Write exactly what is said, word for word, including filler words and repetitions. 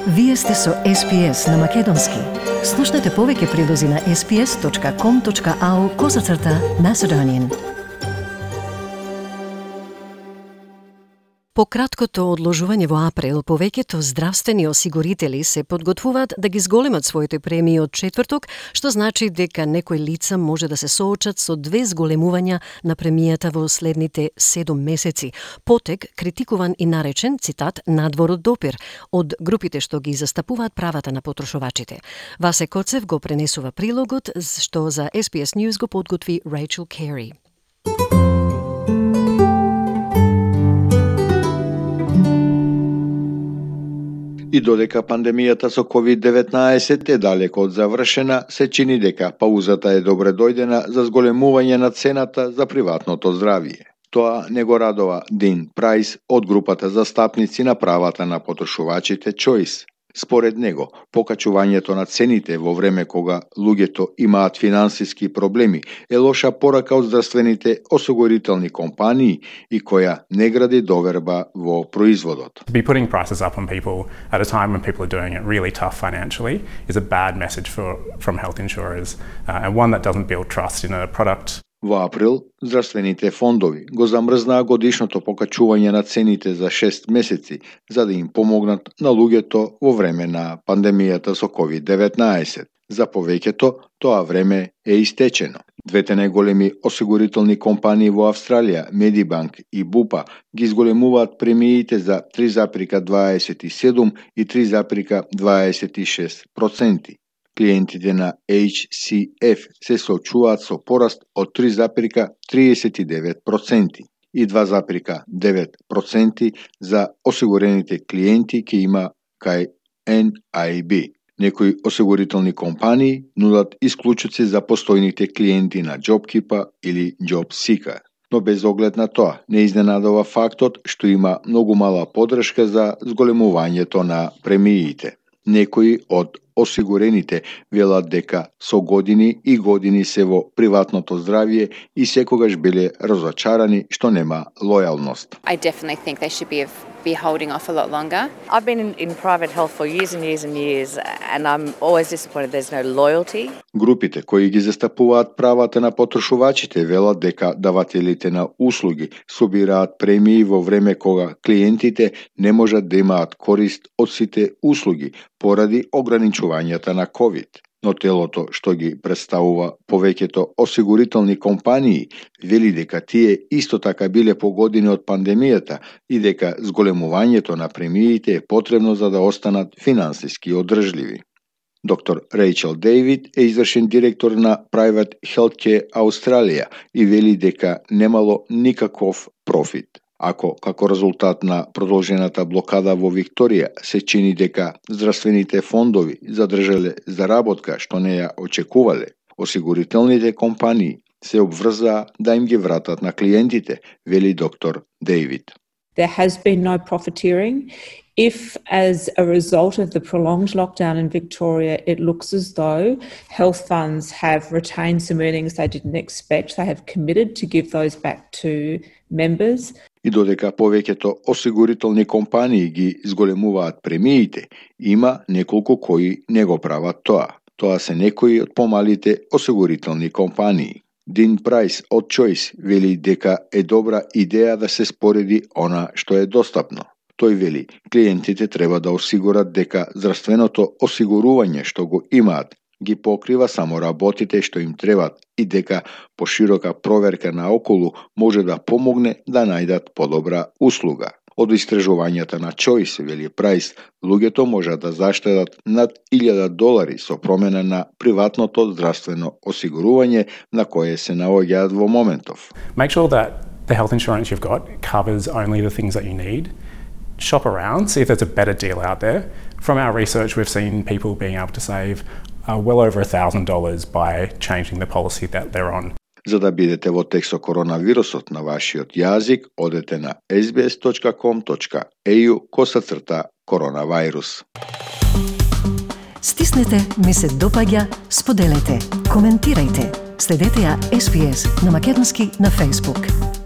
Вие сте со Ес Пи Ес на Македонски. Слушнете повеќе прилози на ес пи ес точка ком точка ау козацрта Macedonian. По краткото одложување во април, повеќето здравствени осигурители се подготвуваат да ги зголемат своите премии од четврток, што значи дека некои лица може да се соочат со две зголемувања на премијата во следните седум месеци. Потек критикуван и наречен, цитат, надвор од допир, од групите што ги застапуваат правата на потрошувачите. Васе Коцев го пренесува прилогот, што за Ес Пи Ес News го подготви Рейчел Кери. И додека пандемијата со ковид деветнаесет е далеко од завршена, се чини дека паузата е добре дојдена за зголемување на цената за приватното здравје. Тоа не го радова Дин Прајс од групата застапници на правата на потрошувачите Choice. Според него, покачувањето на цените во време кога луѓето имаат финансиски проблеми е лоша порака од здравствените осигурителни компании и која не гради доверба во производот. To be putting prices up on people at a time when people are doing it really tough financially is a bad message for, from health insurers uh, and one that doesn't build trust in a product. Во април, здравствените фондови го замрзнаа годишното покачување на цените за шест месеци, за да им помогнат на луѓето во време на пандемијата со ковид деветнаесет. За повеќето, тоа време е истечено. Двете најголеми осигурителни компании во Австралија, Медибанк и Бупа, ги зголемуваат премиите за три запирка дваесет и седум и три запирка дваесет и шест проценти. Клиентите на Еич Си Еф се соочуваат со пораст од три запирка триесет и девет проценти и два запирка девет проценти за осигурените клиенти ки има кај Ен Ај Би. Некои осигурителни компании нудат исклучоци за постојните клиенти на JobKeeper или JobSeeker. Но без оглед на тоа, не изненадува фактот што има многу мала поддршка за зголемувањето на премиите. Некои од осигурените велат дека со години и години се во приватното здравје и секогаш биле разочарани што нема лојалност. I definitely think they should be be holding off a lot longer. I've been in, in private health for years and years and years and I'm always disappointed there's no loyalty. Групите кои ги застапуваат правата на потрошувачите велат дека давателите на услуги собираат премии во време кога клиентите не можат да имаат корист од сите услуги поради ограничувањата на ковид. Но телото што ги представува повеќето осигурителни компании вели дека тие исто така биле погодени од пандемијата и дека зголемувањето на премиите е потребно за да останат финансиски одржливи. Доктор Рейчел Дейвид е извршен директор на Private Healthcare Australia и вели дека немало никаков профит. Ако, како резултат на продолжената блокада во Викторија, се чини дека здравствените фондови задржале заработка што не ја очекувале, осигурителните компании се обврзаа да им ги вратат на клиентите, вели доктор Дейвид. There has been no profiteering. If, as a result of the prolonged lockdown in Victoria, it looks as though health funds have retained some earnings they didn't expect, they have committed to give those back to members. И додека повеќето осигурителни компании ги зголемуваат премиите, има неколку кои не го прават тоа. Тоа се некои од помалите осигурителни компании. Дин Прајс од Choice вели дека е добра идеја да се спореди она што е достапно. Тој вели, клиентите треба да осигурат дека здравственото осигурување што го имаат ги покрива само работите што им требат и дека поширока проверка наоколу може да помогне да најдат подобра услуга. Од истражувањата на Choice, вели Прајс, луѓето можат да заштедат над илјада долари со промена на приватното здравствено осигурување на кое се наоѓаат во моментов. Make sure that the health insurance you've got covers only the things that you need. Shop around, see if there's a better deal out there. From our research, we've seen people being able to save uh, well over one thousand dollars by changing the policy that they're on. За да бидете во текст со коронавирусот на вашиот јазик, одете на ес би ес точка ком точка ей ю косацрта коронавирус. Стиснете, ми се допаѓа, споделете, коментирајте. Следете ја Ес Би Ес на Македонски на Facebook.